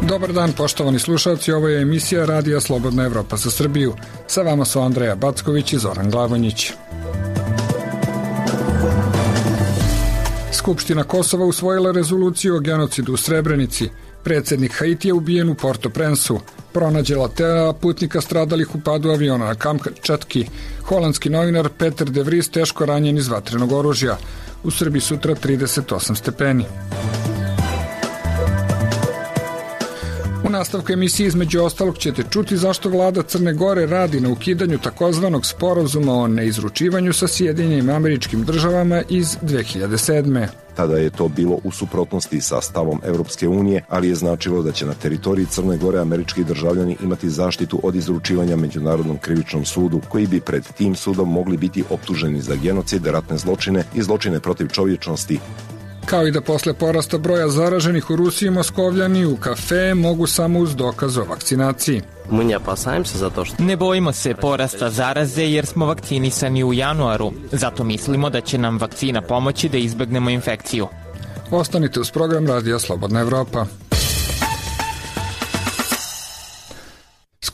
Dobar dan, poštovani slušalci, ovo je emisija Radija Slobodna Evropa za Srbiju. Sa vama su Andreja Backović i Zoran Glavonjić. Skupština Kosova usvojila rezoluciju o genocidu u Srebrenici. Predsjednik Haitija ubijen u Port-au-Prince-u. Pronađela tela putnika stradalih u padu aviona na Kamčatki. Holandski novinar Peter de Vries teško ranjen iz vatrenog oružja. U Srbiji sutra 38 stepeni. U nastavku emisije između ostalog ćete čuti zašto vlada Crne Gore radi na ukidanju takozvanog sporazuma o neizručivanju sa Sjedinjenim Američkim Državama iz 2007. Tada je to bilo u suprotnosti sa stavom Evropske unije, ali je značilo da će na teritoriji Crne Gore američki državljani imati zaštitu od izručivanja Međunarodnom krivičnom sudu, koji bi pred tim sudom mogli biti optuženi za genocid, ratne zločine i zločine protiv čovječnosti. Kao i da posle porasta broja zaraženih u Rusiji, Moskovljani u kafe mogu samo uz dokaz o vakcinaciji. Ne bojimo se porasta zaraze jer smo vakcinisani u januaru. Zato mislimo da će nam vakcina pomoći da izbegnemo infekciju. Ostanite uz program Radija Slobodna Evropa.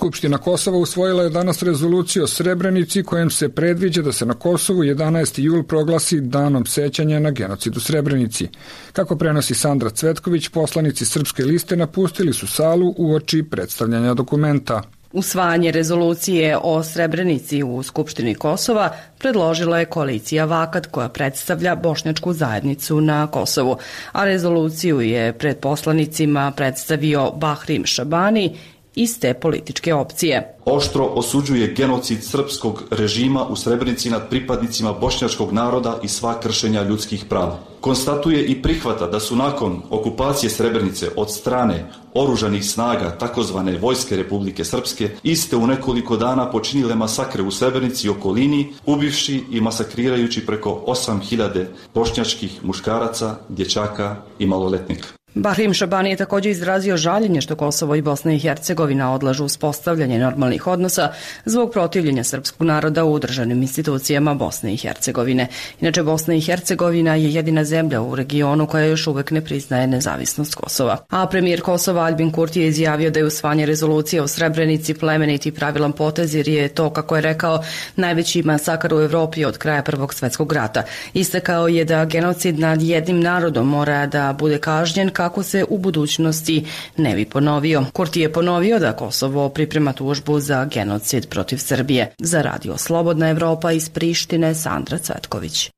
Skupština Kosova usvojila je danas rezoluciju o Srebrenici kojom se predviđa da se na Kosovu 11. jul proglasi danom sećanja na genocid u Srebrenici. Kako prenosi Sandra Cvetković, poslanici Srpske liste napustili su salu uoči predstavljanja dokumenta. Usvajanje rezolucije o Srebrenici u Skupštini Kosova predložila je koalicija Vakat koja predstavlja bošnjačku zajednicu na Kosovu, a rezoluciju je pred poslanicima predstavio Bahrim Šabani iz te političke opcije. Oštro osuđuje genocid srpskog režima u Srebrenici nad pripadnicima bošnjačkog naroda i sva kršenja ljudskih prava. Konstatuje i prihvata da su nakon okupacije Srebrenice od strane oružanih snaga takozvane Vojske Republike Srpske iste u nekoliko dana počinile masakre u Srebrenici i okolini, ubivši i masakrirajući preko 8.000 bošnjačkih muškaraca, dječaka i maloletnika. Bahrim Šabani je također izrazio žaljenje što Kosovo i Bosna i Hercegovina odlažu uspostavljanje normalnih odnosa zbog protivljenja srpskog naroda u državnim institucijama Bosne i Hercegovine. Inače, Bosna i Hercegovina je jedina zemlja u regionu koja još uvek ne priznaje nezavisnost Kosova. A premijer Kosova Albin Kurti je izjavio da je usvajanje rezolucije o Srebrenici plemenit i pravilan potez jer je to, kako je rekao, najveći masakar u Evropi od kraja Prvog svjetskog rata. Istakao je da genocid nad jednim narodom mora da bude kažnjen kako se u budućnosti ne bi ponovio. Kurti je ponovio da Kosovo priprema tužbu za genocid protiv Srbije. Za Radio Slobodna Evropa iz Prištine, Sandra Cvetković.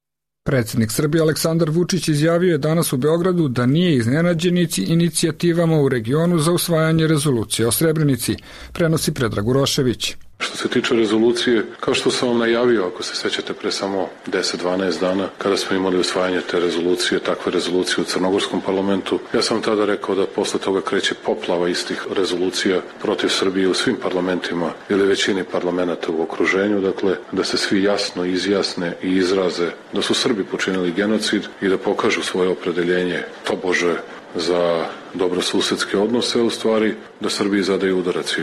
Predsjednik Srbije Aleksandar Vučić izjavio je danas u Beogradu da nije iznenađen inicijativama u regionu za usvajanje rezolucije o Srebrenici, prenosi Predrag Urošević. Što se tiče rezolucije, kao što sam vam najavio, ako se sećate pre samo 10-12 dana, kada smo imali usvajanje te rezolucije, takve rezolucije u Crnogorskom parlamentu, ja sam tada rekao da posle toga kreće poplava istih rezolucija protiv Srbije u svim parlamentima ili većini parlamenta u okruženju, dakle, da se svi jasno izjasne i izraze da su Srbi počinili genocid i da pokažu svoje opredeljenje tobože za dobrosusedske odnose, u stvari da Srbiji zadaju udarac.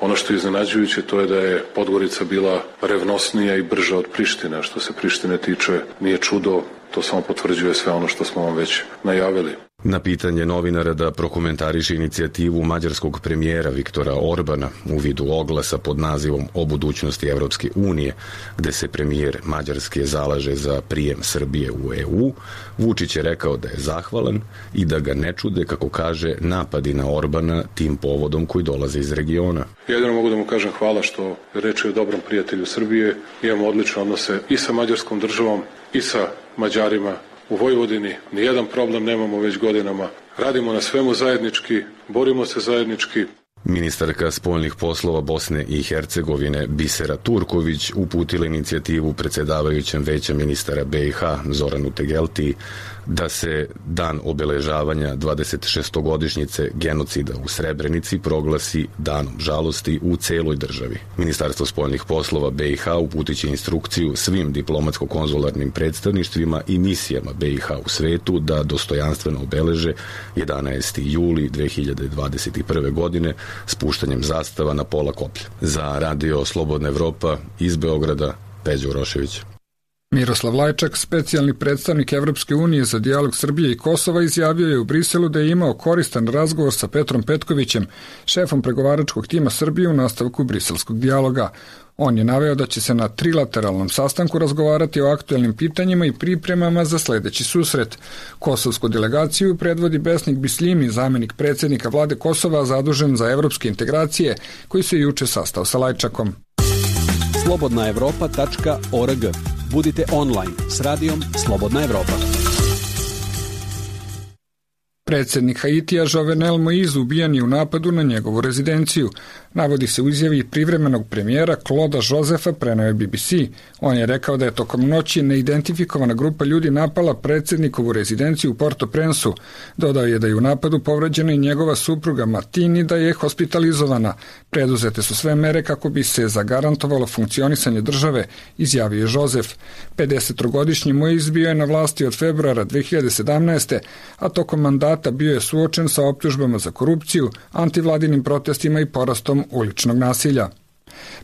Ono što je iznenađujuće to je da je Podgorica bila revnosnija i brža od Prištine. Što se Prištine tiče, nije čudo, to samo potvrđuje sve ono što smo vam već najavili. Na pitanje novinara da prokomentariše inicijativu mađarskog premijera Viktora Orbana u vidu oglasa pod nazivom o budućnosti Evropske unije, gde se premijer Mađarske zalaže za prijem Srbije u EU, Vučić je rekao da je zahvalan i da ga ne čude, kako kaže, napadi na Orbana tim povodom koji dolaze iz regiona. Jedino mogu da mu kažem hvala što reče o dobrom prijatelju Srbije. Imamo odlične odnose i sa mađarskom državom i sa Mađarima. U Vojvodini nijedan problem nemamo već godinama. Radimo na svemu zajednički, borimo se zajednički. Ministarka spoljnih poslova Bosne i Hercegovine Bisera Turković uputila inicijativu predsjedavajućem Veća ministara BiH Zoranu Tegelti da se dan obeležavanja 26-godišnjice genocida u Srebrenici proglasi danom žalosti u celoj državi. Ministarstvo spoljnih poslova BiH uputiće instrukciju svim diplomatsko-konzularnim predstavništvima i misijama BiH u svetu da dostojanstveno obeleže 11. juli 2021. godine spuštanjem zastava na pola koplja. Za Radio Slobodna Evropa iz Beograda, Peđa Urošević. Miroslav Lajčak, specijalni predstavnik Evropske unije za dijalog Srbije i Kosova, izjavio je u Briselu da je imao koristan razgovor sa Petrom Petkovićem, šefom pregovaračkog tima Srbije u nastavku briselskog dijaloga. On je naveo da će se na trilateralnom sastanku razgovarati o aktuelnim pitanjima i pripremama za sledeći susret. Kosovsku delegaciju predvodi Besnik Bisljimi, zamenik predsjednika vlade Kosova zadužen za evropske integracije, koji se juče sastao sa Lajčakom. slobodnaevropa.org. Budite online s radijom Slobodna Evropa. Predsjednik Haitija Jovenel Moïse ubijen je u napadu na njegovu rezidenciju. Navodi se u izjavi privremenog premijera Clauda Josefa, preneo je BBC. On je rekao da je tokom noći neidentifikovana grupa ljudi napala predsjednikovu rezidenciju u Port-au-Prince-u. Dodao je da je u napadu povređena i njegova supruga Martini, da je hospitalizovana. Preduzete su sve mere kako bi se zagarantovalo funkcionisanje države, izjavio je Josef. 53-godišnji Moïse bio je na vlasti od februara 2017. a tokom mandata bio je suočen sa optužbama za korupciju, antivladinim protestima i porastom uličnog nasilja.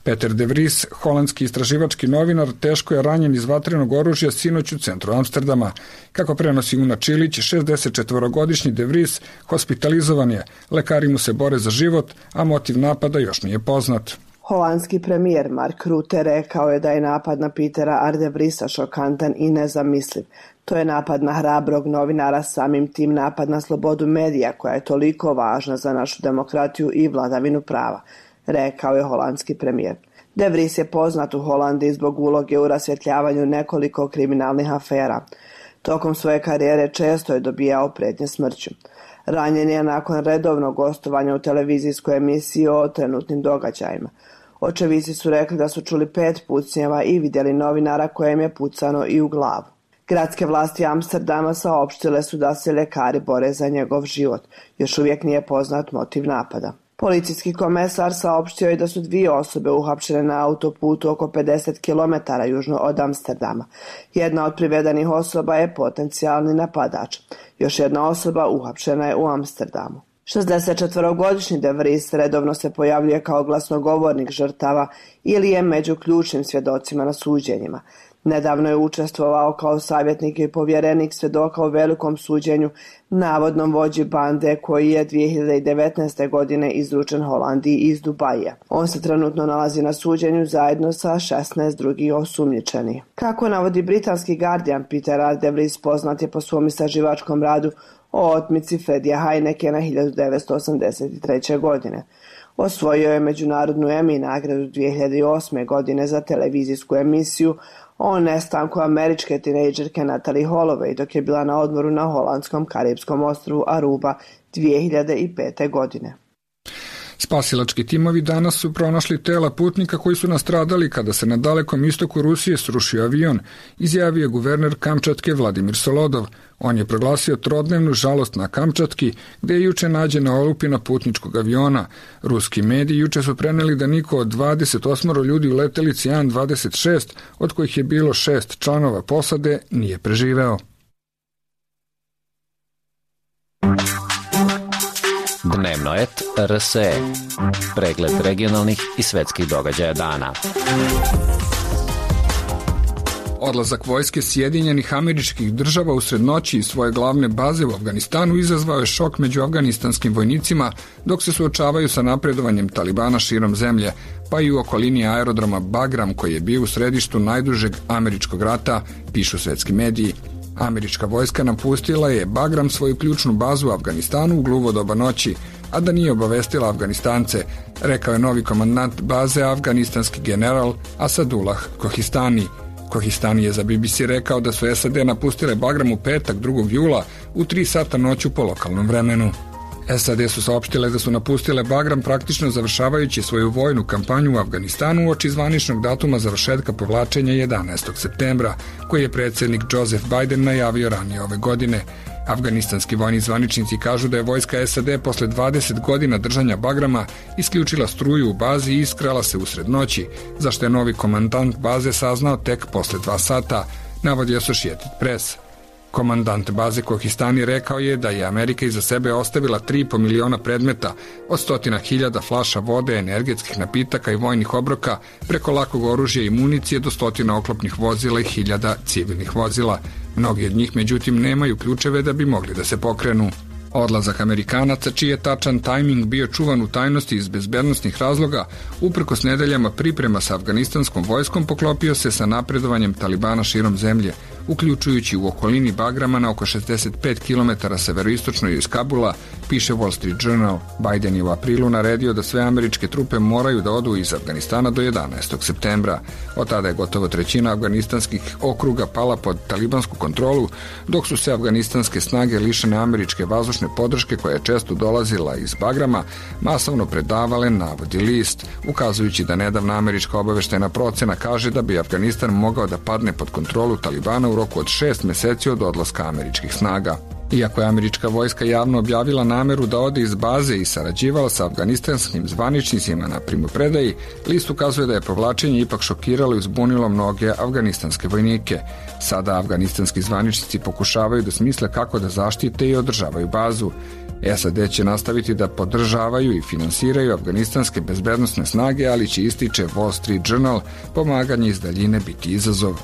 Peter de Vries, holandski istraživački novinar, teško je ranjen iz vatrenog oružja sinoć u centru Amsterdama. Kako prenosi Una Čilić, 64-godišnji de Vries hospitalizovan je, lekari mu se bore za život, a motiv napada još nije poznat. Holandski premijer Mark Rutte rekao je da je napad na Petera R. de Vriesa šokantan i nezamisliv. To je napad na hrabrog novinara, samim tim napad na slobodu medija koja je toliko važna za našu demokratiju i vladavinu prava, rekao je holandski premijer. De Vries je poznat u Holandiji zbog uloge u rasvjetljavanju nekoliko kriminalnih afera. Tokom svoje karijere često je dobijao prijetnje smrću. Ranjen je nakon redovnog gostovanja u televizijskoj emisiji o trenutnim događajima. Očevici su rekli da su čuli 5 pucnjeva i vidjeli novinara kojem je pucano i u glavu. Gradske vlasti Amsterdama saopštile su da se lekari bore za njegov život. Još uvijek nije poznat motiv napada. Policijski komesar saopštio je da su 2 osobe uhapšene na autoputu oko 50 km južno od Amsterdama. Jedna od privedenih osoba je potencijalni napadač. Još jedna osoba uhapšena je u Amsterdamu. 64-godišnji de Vries redovno se pojavljuje kao glasnogovornik žrtava ili je među ključnim svjedocima na suđenjima. Nedavno je učestvovao kao savjetnik i povjerenik svjedoka u velikom suđenju navodnom vođi bande koji je 2019. godine izručen Holandiji iz Dubaija. On se trenutno nalazi na suđenju zajedno sa 16 drugih osumnjičenih. Kako navodi britanski Guardian, Peter R. de Vries poznat je po svom istraživačkom radu o otmici Fredija Heinekena 1983. godine. Osvojio je međunarodnu Emmy nagradu 2008. godine za televizijsku emisiju o nestanku američke tinejdžerke Natalie Holloway dok je bila na odmoru na holandskom karipskom ostrvu Aruba 2005. godine. Spasilački timovi danas su pronašli tela putnika koji su nastradali kada se na dalekom istoku Rusije srušio avion, izjavio guverner Kamčatke Vladimir Solodov. On je proglasio trodnevnu žalost na Kamčatki, gde je juče nađena olupina putničkog aviona. Ruski mediji juče su preneli da niko od 28 ljudi u letelici An-26, od kojih je bilo 6 članova posade, nije preživeo. Dnevnoet RSE. Pregled regionalnih i svetskih događaja dana. Odlazak vojske Sjedinjenih Američkih Država usred noći iz svoje glavne baze u Afganistanu izazvao je šok među afganistanskim vojnicima dok se suočavaju sa napredovanjem Talibana širom zemlje, pa i u okolini aerodroma Bagram koji je bio u središtu najdužeg američkog rata, pišu svetski mediji. Američka vojska napustila je Bagram, svoju ključnu bazu u Afganistanu, u gluvo doba noći, a da nije obavestila Afganistance, rekao je novi komandant baze, afganistanski general Asadullah Kohistani. Kohistani je za BBC rekao da su SAD napustile Bagram u petak 2. jula u 3 sata noću po lokalnom vremenu. SAD su saopštile da su napustile Bagram praktično završavajući svoju vojnu kampanju u Afganistanu uoči zvaničnog datuma završetka povlačenja 11. septembra, koji je predsjednik Joseph Biden najavio ranije ove godine. Afganistanski vojni zvaničnici kažu da je vojska SAD posle 20 godina držanja Bagrama isključila struju u bazi i iskrala se usred noći, zašto je novi komandant baze saznao tek posle 2 sata, navodi Associated Press. Komandant baze Kohistani rekao je da je Amerika iza sebe ostavila 3,5 miliona predmeta, od 100.000 flaša vode, energetskih napitaka i vojnih obroka, preko lakog oružja i municije do 100 oklopnih vozila i 1000 civilnih vozila. Mnogi od njih, međutim, nemaju ključeve da bi mogli da se pokrenu. Odlazak Amerikanaca, čiji je tačan tajming bio čuvan u tajnosti iz bezbednostnih razloga, uprkos nedeljama priprema sa afganistanskom vojskom, poklopio se sa napredovanjem Talibana širom zemlje, uključujući u okolini Bagrama na oko 65 km severoistočno iz Kabula, piše Wall Street Journal. Biden je u aprilu naredio da sve američke trupe moraju da odu iz Afganistana do 11. septembra. Od tada je gotovo trećina afganistanskih okruga pala pod talibansku kontrolu, dok su se afganistanske snage lišene američke vazdušne podrške, koja je često dolazila iz Bagrama, masovno predavale, navodi list, ukazujući da nedavna američka obaveštajna procena kaže da bi Afganistan mogao da padne pod kontrolu Talibana u roku od 6 meseci od odlaska američkih snaga. Iako je američka vojska javno objavila nameru da ode iz baze i sarađivala sa afganistanskim zvaničnicima na primopredaji, list ukazuje da je povlačenje ipak šokiralo i uzbunilo mnoge afganistanske vojnike. Sada afganistanski zvaničnici pokušavaju da smisle kako da zaštite i održavaju bazu. SAD će nastaviti da podržavaju i finansiraju afganistanske bezbednosne snage, ali će, ističe Wall Street Journal, pomaganje iz daljine biti izazov.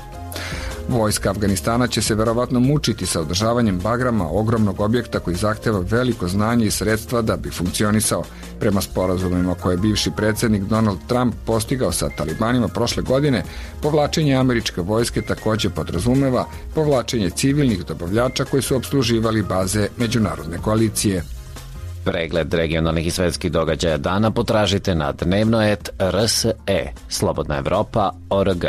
Vojska Afganistana će se verovatno mučiti sa održavanjem Bagrama, ogromnog objekta koji zahteva veliko znanje i sredstva da bi funkcionisao. Prema sporazumima koje je bivši predsjednik Donald Trump postigao sa Talibanima prošle godine, povlačenje američke vojske također podrazumeva povlačenje civilnih dobavljača koji su opsluživali baze međunarodne koalicije. Pregled regionalnih i svetskih događaja dana potražite na dnevnoet.rse, Slobodna Evropa.org.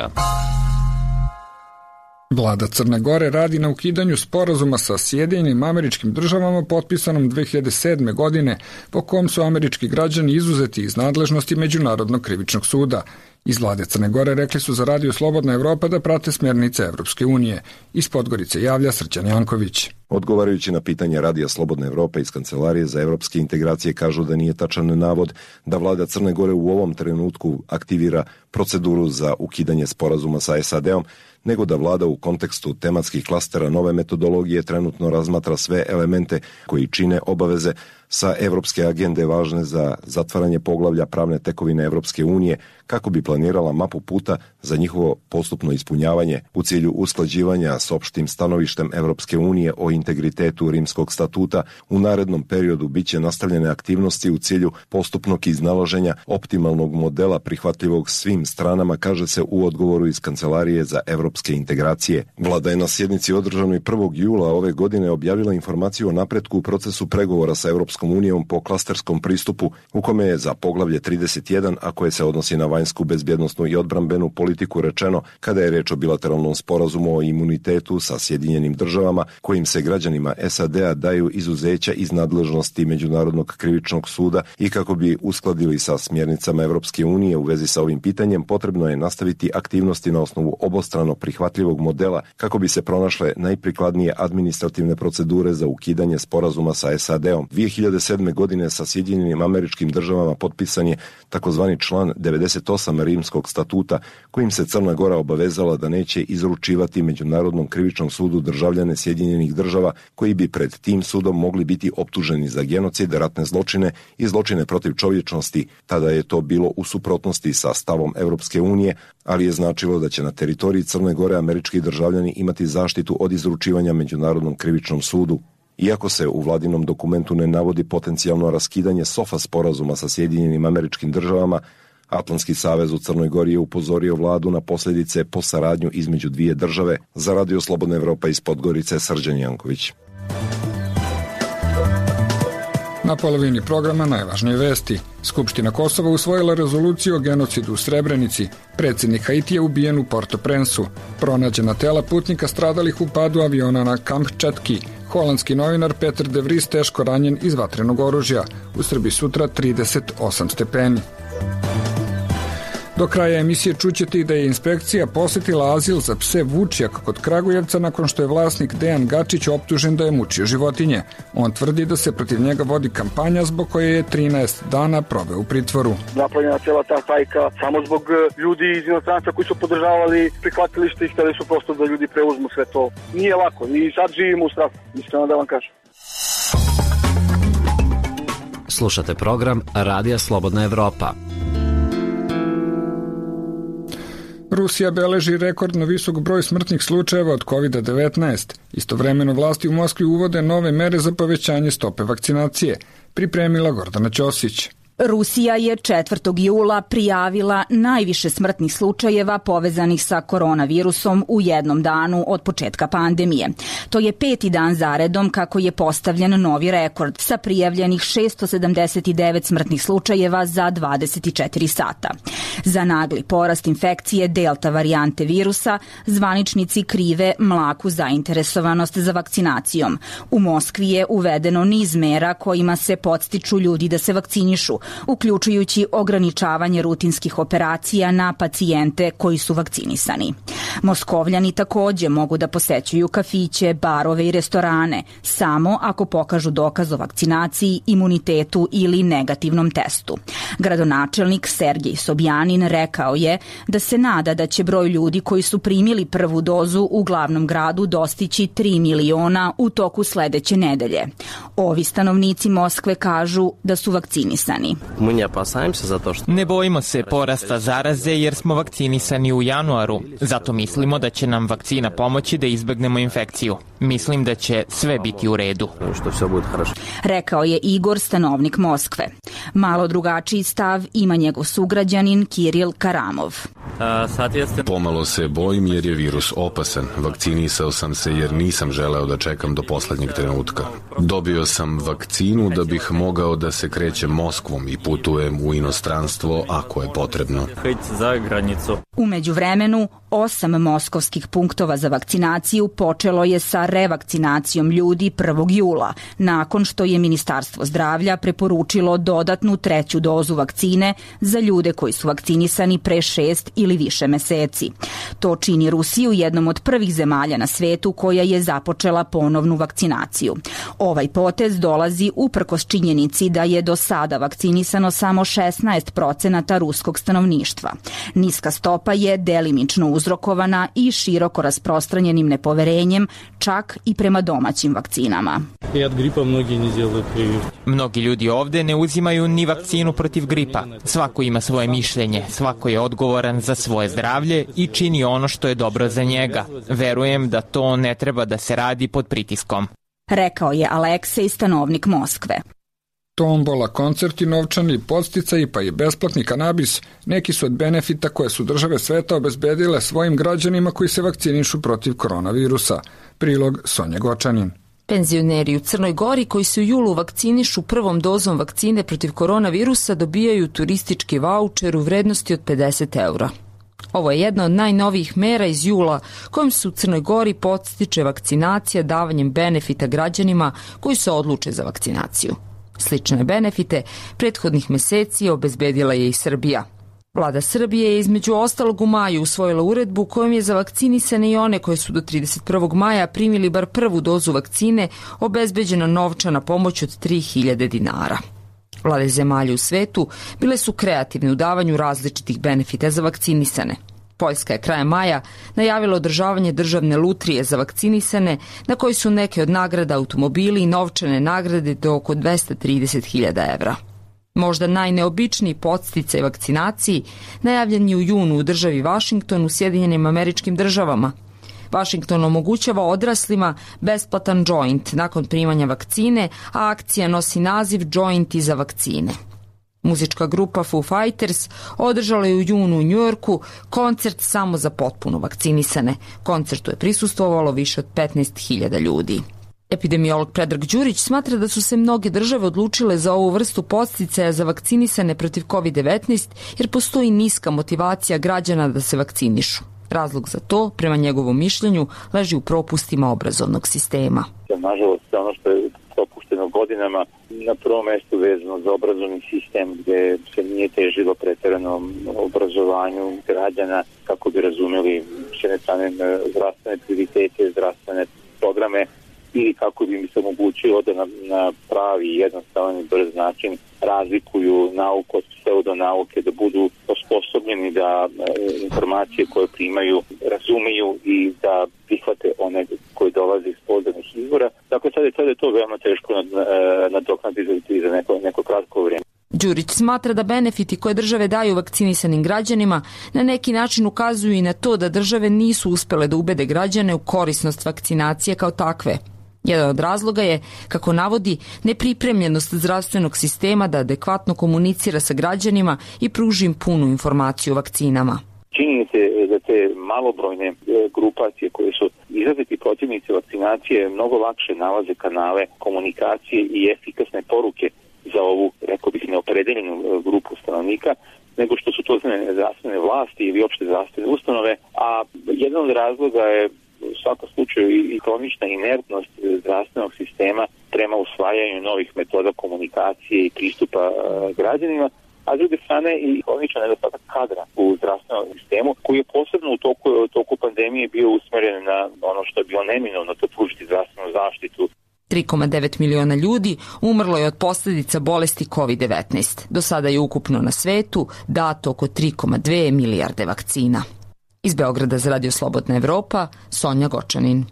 Vlada Crne Gore radi na ukidanju sporazuma sa Sjedinjenim Američkim Državama potpisanom 2007. godine, po kom su američki građani izuzeti iz nadležnosti Međunarodnog krivičnog suda. Iz vlade Crne Gore rekli su za Radio Slobodna Evropa da prate smjernice Evropske unije. Iz Podgorice javlja Srđan Janković. Odgovarajući na pitanje Radija Slobodna Evropa iz Kancelarije za evropske integracije kažu da nije tačan navod da vlada Crne Gore u ovom trenutku aktivira proceduru za ukidanje sporazuma sa SAD-om, nego da vlada u kontekstu tematskih klastera nove metodologije trenutno razmatra sve elemente koji čine obaveze sa evropske agende važne za zatvaranje poglavlja pravne tekovine Evropske unije, kako bi planirala mapu puta za njihovo postupno ispunjavanje u cilju usklađivanja s opštim stanovištem Evropske unije o integritetu Rimskog statuta. U narednom periodu biće nastavljene aktivnosti u cilju postupnog iznalaženja optimalnog modela prihvatljivog svim stranama, kaže se u odgovoru iz Kancelarije za evropske integracije. Vlada je na sjednici održanoj 1. jula ove godine objavila informaciju o napretku u procesu pregovora sa Evropskom unijom po klasterskom pristupu, u kome je za poglavlje 31, a koje se odnosi na vanjsku, bezbjednosnu i odbrambenu politiku, rečeno kada je reč o bilateralnom sporazumu o imunitetu sa Sjedinjenim Državama, kojim se građanima SAD-a daju izuzeća iz nadležnosti Međunarodnog krivičnog suda, i kako bi uskladili sa smjernicama Evropske unije u vezi sa ovim pitanjem, potrebno je nastaviti aktivnosti na osnovu obostrano prihvatljivog modela kako bi se pronašle najprikladnije administrativne procedure za ukidanje sporazuma sa SAD-om. 2007. godine sa Sjedinjenim Američkim Državama potpisan je takozvani član 98 Rimskog statuta, kojim se Crna Gora obavezala da neće izručivati Međunarodnom krivičnom sudu državljane Sjedinjenih Država koji bi pred tim sudom mogli biti optuženi za genocid, ratne zločine i zločine protiv čovječnosti. Tada je to bilo u suprotnosti sa stavom Evropske unije, ali je značilo da će na teritoriji Crne Gore američki državljani imati zaštitu od izručivanja Međunarodnom krivičnom sudu. Iako se u vladinom dokumentu ne navodi potencijalno raskidanje SOFA sporazuma sa Sjedinjenim Američkim Državama, Atlantski savez u Crnoj Gori je upozorio vladu na posljedice po saradnju između dvije države. Za Radio Slobodna Evropa iz Podgorice, Srđan Janković. Na polovini programa najvažnije vesti. Skupština Kosova usvojila rezoluciju o genocidu u Srebrenici. Predsjednik Haitija ubijen u Port-au-Prince-u. Pronađena tela putnika stradalih u padu aviona na Kamčatki. Holandski novinar Peter de Vries teško ranjen iz vatrenog oružja. U Srbiji sutra 38 stepeni. Do kraja emisije čućete i da je inspekcija posjetila azil za pse Vučjak kod Kragujevca nakon što je vlasnik Dejan Gačić optužen da je mučio životinje. On tvrdi da se protiv njega vodi kampanja zbog koje je 13 dana proveo u pritvoru. Napravljena cijela ta hajka samo zbog ljudi iz inostranstva koji su podržavali prihvatilište i hteli su prosto da ljudi preuzmu sve to. Nije lako i sad živimo u strahu, iskreno da vam kažem. Slušate program Radija Slobodna Evropa. Rusija beleži rekordno visok broj smrtnih slučajeva od COVID-19. Istovremeno vlasti u Moskvi uvode nove mere za povećanje stope vakcinacije. Pripremila Gordana Ćosić. Rusija je 4. jula prijavila najviše smrtnih slučajeva povezanih sa koronavirusom u jednom danu od početka pandemije. To je 5. dan zaredom kako je postavljen novi rekord sa prijavljenih 679 smrtnih slučajeva za 24 sata. Za nagli porast infekcije delta varijante virusa zvaničnici krive mlaku zainteresovanost za vakcinacijom. U Moskvi je uvedeno niz mera kojima se podstiču ljudi da se vakcinišu, uključujući ograničavanje rutinskih operacija na pacijente koji su vakcinisani. Moskovljani takođe mogu da posećuju kafiće, barove i restorane, samo ako pokažu dokaz o vakcinaciji, imunitetu ili negativnom testu. Gradonačelnik Sergej Sobjanin rekao je da se nada da će broj ljudi koji su primili prvu dozu u glavnom gradu dostići 3 miliona u toku sledeće nedelje. Ovi stanovnici Moskve kažu da su vakcinisani. Ne bojimo se porasta zaraze jer smo vakcinisani u januaru. Zato mislimo da će nam vakcina pomoći da izbegnemo infekciju. Mislim da će sve biti u redu. Rekao je Igor, stanovnik Moskve. Malo drugačiji stav ima njegov sugrađanin Kiril Karamov. Pomalo se bojim jer je virus opasan. Vakcinisao sam se jer nisam želeo da čekam do poslednjeg trenutka. Dobio sam vakcinu da bih mogao da se krećem Moskvom i putujem u inostranstvo ako je potrebno. U međuvremenu, 8 moskovskih punktova za vakcinaciju počelo je sa revakcinacijom ljudi 1. jula, nakon što je Ministarstvo zdravlja preporučilo dodatnu 3. dozu vakcine za ljude koji su vakcinisani pre 6 ili više meseci. To čini Rusiju jednom od prvih zemalja na svetu koja je započela ponovnu vakcinaciju. Ovaj potez dolazi uprkos činjenici da je do sada vakcinisano samo 16% ruskog stanovništva. Niska stopa je delimično uzrokovana i široko rasprostranjenim nepoverenjem čak i prema domaćim vakcinama. Mnogi ljudi ovde ne uzimaju ni vakcinu protiv gripa. Svako ima svoje mišljenje, svako je odgovoran za svoje zdravlje i čini ono što je dobro za njega. Verujem da to ne treba da se radi pod pritiskom. Rekao je Aleksej, stanovnik Moskve. Tombola, koncerti, novčani podsticaji pa i besplatni kanabis neki su od benefita koje su države sveta obezbedile svojim građanima koji se vakcinišu protiv koronavirusa. Prilog Sonja Gočanin. Penzioneri u Crnoj Gori koji se u julu vakcinišu prvom dozom vakcine protiv koronavirusa dobijaju turistički vaučer u vrednosti od 50 eura. Ovo je jedna od najnovijih mera iz jula kojom se u Crnoj Gori podstiče vakcinacija davanjem benefita građanima koji se odluče za vakcinaciju. Slične benefite prethodnih meseci obezbedila je i Srbija. Vlada Srbije je između ostalog u maju usvojila uredbu kojom je za vakcinisane i one koje su do 31. maja primili bar prvu dozu vakcine obezbeđena novčana pomoć od 3000 dinara. Vlade zemalja u svetu bile su kreativne u davanju različitih benefita za vakcinisane. Poljska je krajem maja najavila održavanje državne lutrije za vakcinisane na kojoj su neke od nagrada automobili i novčane nagrade do oko 230.000 evra. Možda najneobičniji podsticaj vakcinaciji najavljen je u junu u državi Vašington u Sjedinjenim Američkim Državama. Washington omogućava odraslima besplatan joint nakon primanja vakcine, a akcija nosi naziv Jointi za vakcine. Muzička grupa Foo Fighters održala je u junu u Njujorku koncert samo za potpuno vakcinisane. Koncertu je prisustvovalo više od 15.000 ljudi. Epidemiolog Predrag Đurić smatra da su se mnoge države odlučile za ovu vrstu podsticaja za vakcinisane protiv COVID-19 jer postoji niska motivacija građana da se vakcinišu. Razlog za to, prema njegovom mišljenju, leži u propustima obrazovnog sistema. Nažalost, ono što je propušteno godinama, na prvom mestu vezano za obrazovni sistem gde se nije težilo pretjeranom obrazovanju građana kako bi razumeli s jedne strane zdravstvene prioritete, zdravstvene programe ili kako bi im se omogućilo da na pravi, jednostavan i brz način razlikuju nauku od pseudonauke, da budu osposobljeni da informacije koje primaju razumiju i da prihvate one koje dolaze iz pouzdanih izvora. Dakle, sada je to veoma teško nadoknaditi za neko kratko vrijeme. Đurić smatra da benefiti koje države daju vakcinisanim građanima na neki način ukazuju i na to da države nisu uspele da ubede građane u korisnost vakcinacije kao takve. Jedan od razloga je, kako navodi, nepripremljenost zdravstvenog sistema da adekvatno komunicira sa građanima i pruži im punu informaciju o vakcinama. Čini se da te malobrojne grupacije koje su izraziti protivnici vakcinacije mnogo lakše nalaze kanale komunikacije i efikasne poruke za ovu, rekao bih, neopredeljenu grupu stanovnika, nego što su to zdravstvene vlasti ili opšte zdravstvene ustanove, a jedan od razloga je u svakom slučaju i kronična inertnost zdravstvenog sistema prema usvajanju novih metoda komunikacije i pristupa građanima, a s druge strane i kroničan nedostatak kadra u zdravstvenom sistemu koji je posebno u toku pandemije bio usmeren na ono što je bilo neminovno, to pružiti zdravstvenu zaštitu. 3,9 miliona ljudi umrlo je od posljedica bolesti COVID-19. Do sada je ukupno na svetu dato oko 3,2 milijarde vakcina. Iz Beograda za Radio Slobodna Evropa, Sonja Gočanin.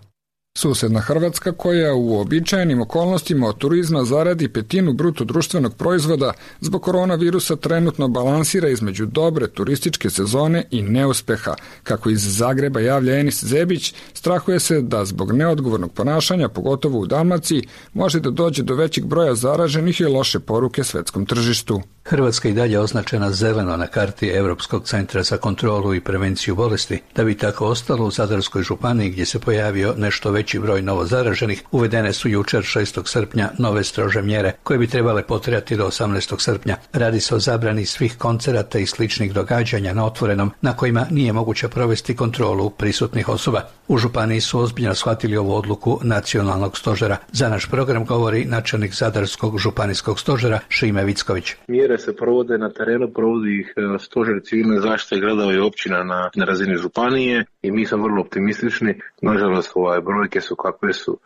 Susedna Hrvatska, koja u uobičajenim okolnostima od turizma zaradi petinu bruto društvenog proizvoda, zbog koronavirusa trenutno balansira između dobre turističke sezone i neuspeha. Kako iz Zagreba javlja Enis Zebić, strahuje se da zbog neodgovornog ponašanja, pogotovo u Dalmaciji, može da dođe do većeg broja zaraženih i loše poruke svetskom tržištu. Hrvatska i dalje označena zeleno na karti Europskog centra za kontrolu i prevenciju bolesti. Da bi tako ostalo, u Zadarskoj županiji, gdje se pojavio nešto veći broj novozaraženih, uvedene su jučer 6. srpnja nove strože mjere koje bi trebale potrajati do 18. srpnja. Radi se o zabrani svih koncerata i sličnih događanja na otvorenom na kojima nije moguće provesti kontrolu prisutnih osoba. U županiji su ozbiljno shvatili ovu odluku nacionalnog stožera. Za naš program govori načelnik Zadarskog županijskog stožera Šime Vicković. Mjere se provode na terenu, provodi ih stožer civilne zaštite gradova i općina na razini županije i mi smo vrlo optimistični. Nažalost, brojke su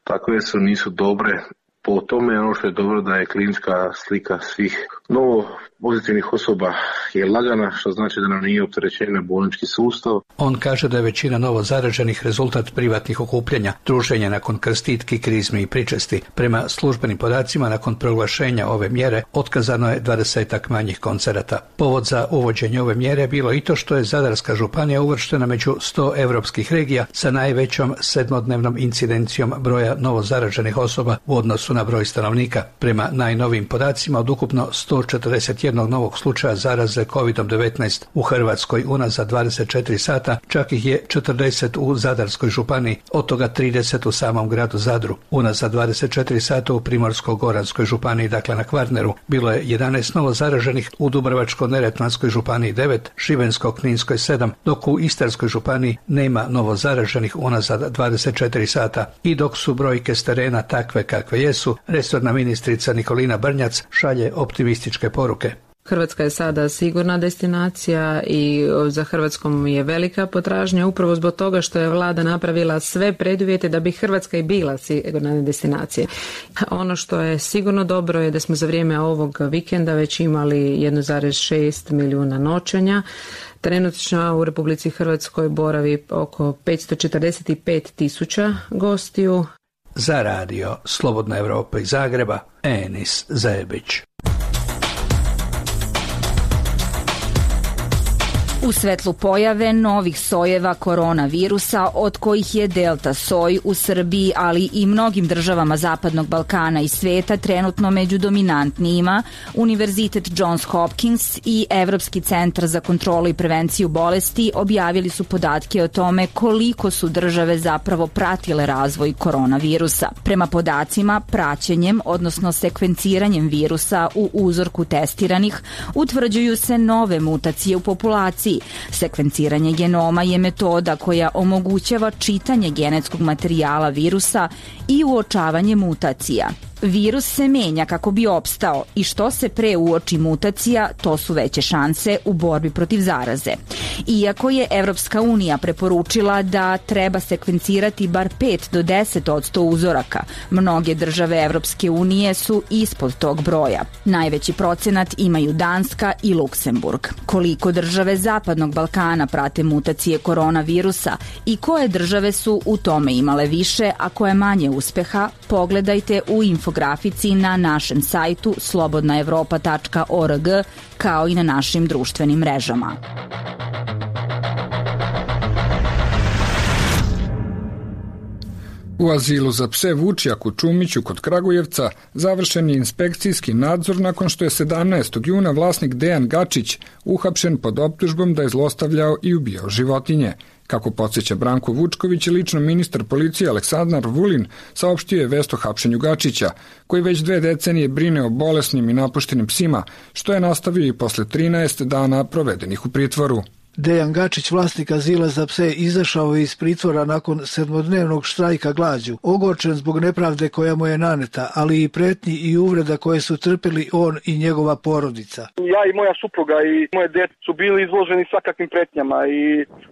takve su, nisu dobre. Po tome ono što je dobro da je klinička slika svih novo pozitivnih osoba je lagana, što znači da nam nije opterećen bolnički sustav. On kaže da je većina novo zaraženih rezultat privatnih okupljanja, druženja nakon krstitki, krizmi i pričesti. Prema službenim podacima, nakon proglašenja ove mjere, otkazano je 20-ak manjih koncerata. Povod za uvođenje ove mjere je bilo i to što je Zadarska županija uvrštena među 100 evropskih regija sa najvećom sedmodnevnom incidencijom broja novo zaraženih osoba u odnosu na broj stanovnika. Prema najnovijim podacima, od ukupno 141 novog slučaja zaraze COVID-19 u Hrvatskoj unazad 24 sata, čak ih je 40 u Zadarskoj županiji, od toga 30 u samom gradu Zadru. Unazad 24 sata u Primorsko-goranskoj županiji, dakle na Kvarneru, bilo je 11 novo zaraženih, u Dubrovačko-neretvanskoj županiji 9, Šibensko-kninskoj 7, dok u Istarskoj županiji nema novo zaraženih unazad 24 sata. I dok su brojke s terena takve kakve jesu, resorna ministrica Nikolina Brnjac šalje optimističke poruke. Hrvatska je sada sigurna destinacija i za Hrvatskom je velika potražnja upravo zbog toga što je vlada napravila sve preduvjete da bi Hrvatska i bila sigurna destinacija. Ono što je sigurno dobro je da smo za vrijeme ovog vikenda već imali 1,6 milijuna noćenja. Trenutno u Republici Hrvatskoj boravi oko 545.000 gostiju. Za radio Slobodna Evropa iz Zagreba, Enis Zebić. U svetlu pojave novih sojeva koronavirusa, od kojih je delta soj u Srbiji, ali i mnogim državama Zapadnog Balkana i sveta trenutno među dominantnijima, Univerzitet Johns Hopkins i Evropski centar za kontrolu i prevenciju bolesti objavili su podatke o tome koliko su države zapravo pratile razvoj koronavirusa. Prema podacima, praćenjem, odnosno sekvenciranjem virusa u uzorku testiranih, utvrđuju se nove mutacije u populaciji. Sekvenciranje genoma je metoda koja omogućava čitanje genetskog materijala virusa i uočavanje mutacija. Virus se menja kako bi opstao i što se pre uoči mutacija, to su veće šanse u borbi protiv zaraze. Iako je Evropska unija preporučila da treba sekvencirati bar 5 do 10% uzoraka, mnoge države Evropske unije su ispod tog broja. Najveći procenat imaju Danska i Luksemburg. Koliko države Zapadnog Balkana prate mutacije koronavirusa i koje države su u tome imale više, a koje manje uspeha, pogledajte u infografici na našem sajtu slobodnaevropa.org, kao i na našim društvenim mrežama. U azilu za pse Vučjak u Čumiću kod Kragujevca završen je inspekcijski nadzor nakon što je 17. juna vlasnik Dejan Gačić uhapšen pod optužbom da je zlostavljao i ubijao životinje. Kako podsjeća Branko Vučković, lično ministar policije Aleksandar Vulin saopštio je vest o hapšenju Gačića, koji već 2 decenije brine o bolesnim i napuštenim psima, što je nastavio i posle 13 dana provedenih u pritvoru. Dejan Gačić, vlasnik azila za pse, izašao je iz pritvora nakon 7-dnevnog štrajka glađu, ogorčen zbog nepravde koja mu je naneta, ali i pretnji i uvreda koje su trpeli on i njegova porodica. Ja i moja supruga i moje dete su bili izloženi svakakvim pretnjama i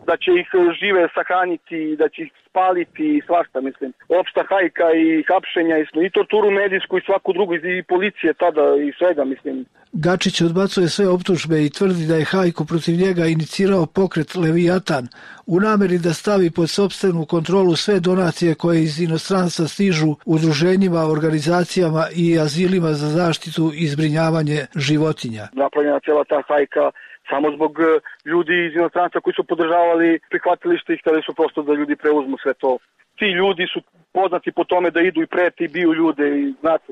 da će ih žive sahraniti, da će ih spaliti i svašta, mislim. Opšta hajka i hapšenja i torturu medijsku i svaku drugu i policije tada i svega, mislim. Gačić odbacuje sve optužbe i tvrdi da je hajku protiv njega inicirao pokret Leviatan u nameri da stavi pod sopstvenu kontrolu sve donacije koje iz inostranstva stižu udruženjima, organizacijama i azilima za zaštitu i zbrinjavanje životinja. Napravljena cijela ta hajka samo zbog ljudi iz inostranstva koji su podržavali prihvatilište i hteli su prosto da ljudi preuzmu sve to. Ti ljudi su poznati po tome da idu i preti i biju ljude i znate,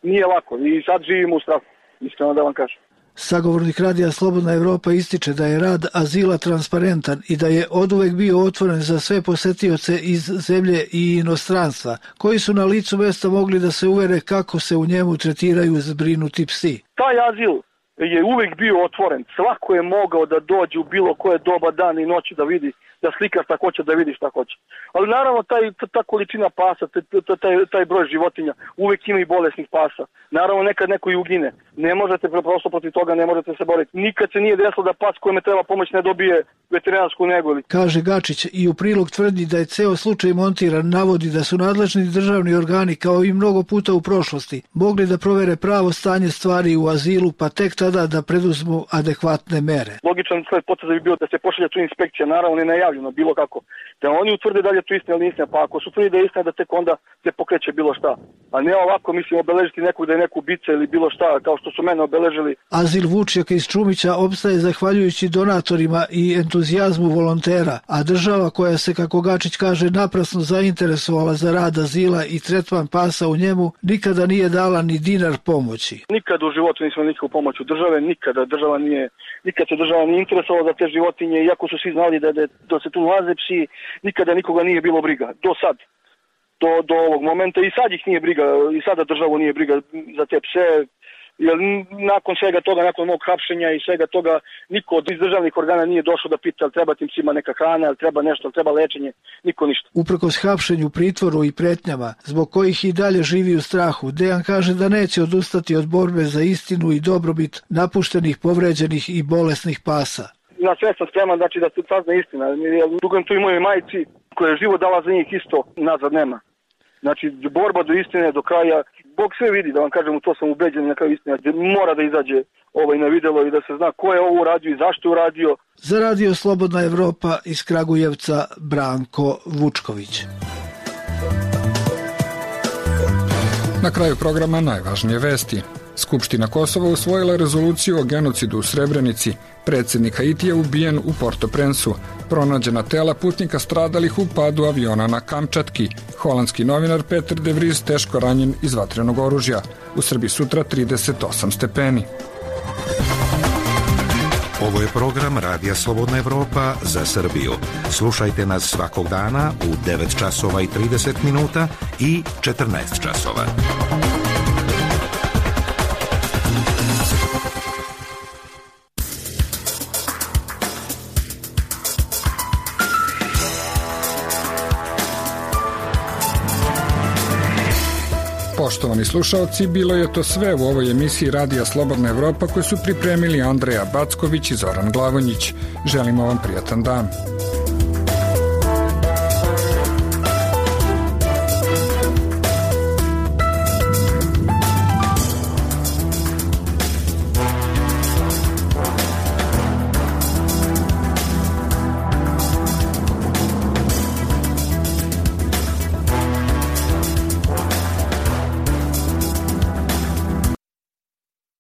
nije lako i sad živimo u strahu. Iskreno da vam kažem. Sagovornik radija Slobodna Evropa ističe da je rad azila transparentan i da je oduvek bio otvoren za sve posetioce iz zemlje i inostranstva, koji su na licu mesta mogli da se uvere kako se u njemu tretiraju zbrinuti psi. Taj azil je uvek bio otvoren. Svako je mogao da dođe u bilo koje doba dana i noći da vidi, da slika šta hoće, da vidi šta hoće. Ali naravno ta količina pasa, taj broj životinja, uvek ima i bolesnih pasa. Naravno nekad neko i ugine. Ne možete prosto protiv toga, ne možete se boriti. Nikad se nije desilo da pas kojeme treba pomoć ne dobije veterinarsku negu. Kaže Gačić i u prilog tvrdi da je ceo slučaj montiran, navodi da su nadležni državni organi kao i mnogo puta u prošlosti mogli da provere pravo stanje stvari u azilu, pa tek tada da preduzmu adekvatne mere. Logičan sled poteza bi bio da se pošalje tu inspekcija, naravno ne najavljeno, bilo kako. Da oni utvrde da li je to istina ili istina, pa ako su tvrdi da je istina, da tek onda se pokreće bilo šta. A ne ovako, mislim, obeležiti nekog da je neku ubica ili bilo šta, kao što su mene obeležili. Azil Vučjaka iz Čumića opstaje zahvaljujući donatorima i entuzijazmu volontera, a država koja se, kako Gačić kaže, naprasno zainteresovala za rad azila i tretman pasa u njemu, nikada nije dala ni dinar pomoći. Nikada u životu nismo nikakvu pomoć od države, nikad se država nije interesovala za te životinje, iako su svi znali da se tu nalaze psi, nikada nikoga nije bilo briga, do sad. Do ovog momenta i sad ih nije briga, i sada državu nije briga za te pse, jer nakon svega toga, nakon mog hapšenja i svega toga, niko od državnih organa nije došao da pita ali treba tim psima neka hrana, ali treba nešto, ali treba lečenje, niko ništa. Uprkos hapšenju, pritvoru i pretnjama, zbog kojih i dalje živi u strahu, Dejan kaže da neće odustati od borbe za istinu i dobrobit napuštenih, povređenih i bolesnih pasa. Na sve sam spreman, znači da se sazna istina. Dugujem tu i mojoj majici koja je život dala za njih isto, nazad nema. Znači, borba do istine, do kraja. Bog sve vidi, da vam kažem, u to sam ubeđen, na kraju istina. Mora da izađe na videlo i da se zna ko je ovo uradio i zašto je uradio. Za radio Slobodna Evropa iz Kragujevca, Branko Vučković. Na kraju programa najvažnije vesti. Skupština Kosova usvojila rezoluciju o genocidu u Srebrenici. Predsjednik Haitija ubijen u Port-au-Prince-u. Pronađena tela putnika stradalih u padu aviona na Kamčatki. Holandski novinar Peter de Vries teško ranjen iz vatrenog oružja. U Srbiji sutra 38 stepeni. Ovo je program Radija Slobodna Evropa za Srbiju. Slušajte nas svakog dana u 9 časova i 30 minuta i 14 časova. Poštovani slušaoci, bilo je to sve u ovoj emisiji Radija Slobodna Evropa koju su pripremili Andreja Backović i Zoran Glavonjić. Želimo vam prijatan dan.